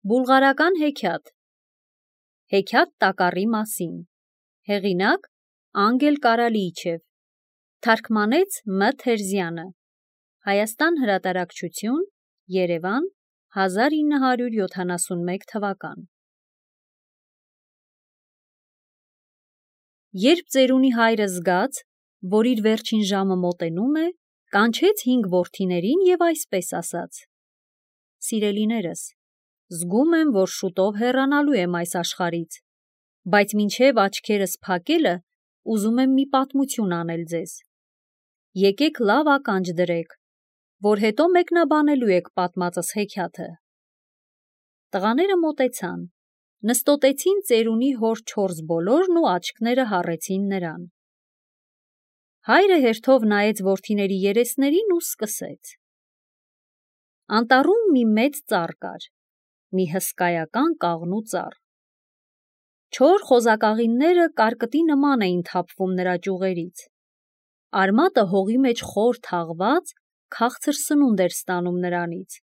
Բուլղարական հեքիաթ Հեքիաթ տակառի մասին Հեղինակ Անգել Կարալիիչև Թարգմանեց Մ. Թերզյանը Հայաստան հրատարակչություն Երևան 1971 թվական Երբ ծերունի հայրը զգաց, որ իր վերջին ժամը մոտենում է, կանչեց 5 որդիներին և այսպես ասաց. Սիրելիներս, զգում եմ, որ շուտով հեռանալու եմ այս աշխարհից, բայց մինչև աչքերս փակելը ուզում եմ մի պատմություն անել ձեզ։ Եկեք լավ ականջ դրեք, որ հետո մեկնաբանելու եք պատմածս հեքիաթը։ Տղաները մոտեցան, նստոտեցին ծերունի հոր 4 բոլորն ու աչքները հառեցին նրան։ Հայրը հերթով նայեց որդիների երեսներին ու սկսեց. Անտառում մի մեծ ծառ կար, մի հսկայական կաղնու ծառ։ Չոր խոզակաղինները կարկտի նման էին թափվում նրա ճյուղերից։ Արմատը հողի մեջ խոր թաղված, քաղցր սնունդ էր ստանում նրանից։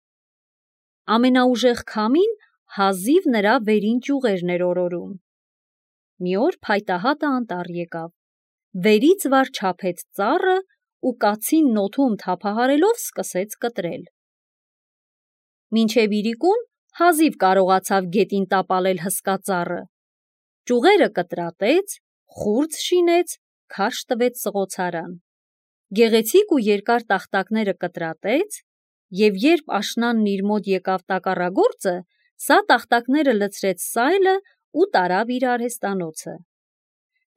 Ամենաուժեղ քամին հազիվ նրա վերին ճյուղերն էր օրորում։ Մի օր փայտահատը անտառ եկավ, վերից վար չափեց ծառը ու կացին նոթում թափահարելով սկսեց կտրել։ Մինչև իրիկուն հազիվ կարողացավ գետին տապալել հսկա ծառը։ Ճյուղերը կտրատեց, խուրձ շինեց, քարշ տվեց սղոցարան։ Գեղեցիկ ու երկար տախտակները կտրատեց, և երբ աշնանն իր մոտ եկավ տակառագործը, սա տախտակները լցրեց սայլը ու տարավ իր արհեստանոցը։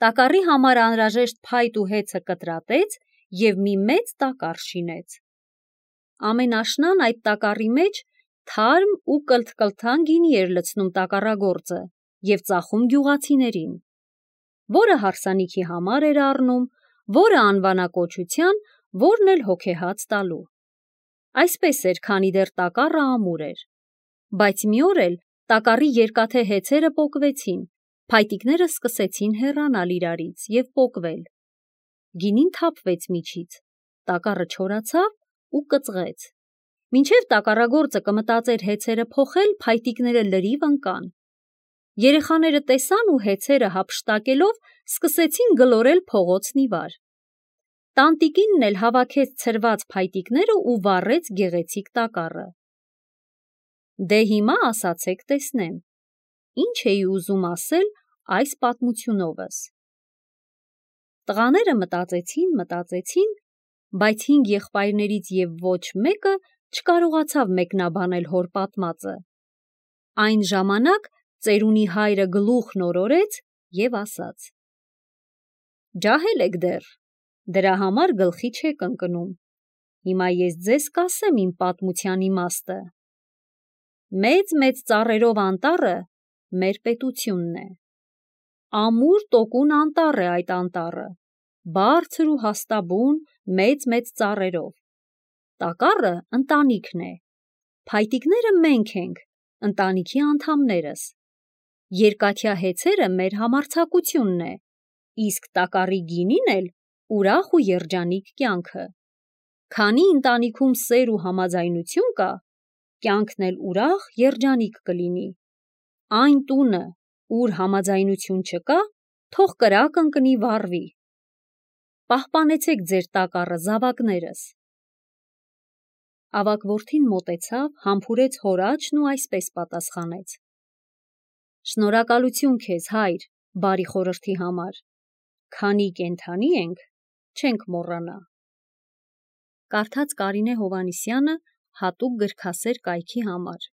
Տակառի համար անհրաժեշտ փայտ ու հեծը կտրատեց և մի մեծ տակառ շինեց։ Ամեն աշնան այդ տակառի մեջ թարմ ու կլթ-կլթան գինի էր լցնում տակառագործը և ծախում գյուղացիներին, որը հարսանիքի համար էր առնում, որը անվանակոչության, որն էլ հոգեհաց տալու։ Այսպես էր, քանի դեռ տակառը ամուր էր։ Բայց մի օր էլ տակառի երկաթե հեծերը պոկվեցին, փայտիկները սկսեցին հեռանալ իրարից և պոկվել։ Գինին թափվեց միջից, տակառը չորացավ ու կծղեց։ Մինչև տակառագործը կմտածեր հեծերը փոխել, փայտիկները լրիվ ընկան։ Երեխաները տեսան ու հեծերը հափշտակելով սկսեցին գլորել փողոցն ի վար։ Տանտիկինն էլ հավաքեց ցրված փայտիկները ու վառեց գեղեցիկ տակառը։ Դե հիմա ասացեք տեսնեմ, ի՞նչ էի ուզում ասել այս պատմությունովս։ Տղաները մտածեցին, բայց 5 եղբայրներից և ոչ մեկը չկարողացավ մեկնաբանել հոր պատմածը։ Այն ժամանակ ծերունի հայրը գլուխն օրորեց և ասաց. Ջահել եք դեռ, դրա համար գլխի չեք ընկնում։ Հիմա ես ձեզ կասեմ իմ պատմության իմաստը։ Մեծ ծառերով անտառը մեր պետությունն է։ Ամուր տոկուն անտառ է այդ անտառը, բարձր ու հաստաբուն, մեծ ծառերով։ Տակառը ընտանիքն է։ Փայտիկները մենք ենք, ընտանիքի անդամներս։ Երկաթյա հեծերը մեր համարձակությունն է, իսկ տակառի գինին էլ ուրախ ու երջանիկ կյանքը։ Քանի ընտանիքում սեր ու համաձայնություն կա, կյանքն էլ ուրախ, երջանիկ կլինի։ Այն տունը, ուր համաձայնություն չկա, թող կրակ ընկնի, վառվի։ Պահպանեցեք ձեր տակառը, զավակներս։ Ավագ որդին մոտեցավ, համբուրեց հոր աջն ու այսպես պատասխանեց. Շնորհակալություն քեզ, հայր, բարի խորհրդի համար։ Քանի կենդանի ենք, չենք մոռանա։ Կարդաց Կարինե Հովհաննիսյանը հատուկ գրքասեր կայքի համար։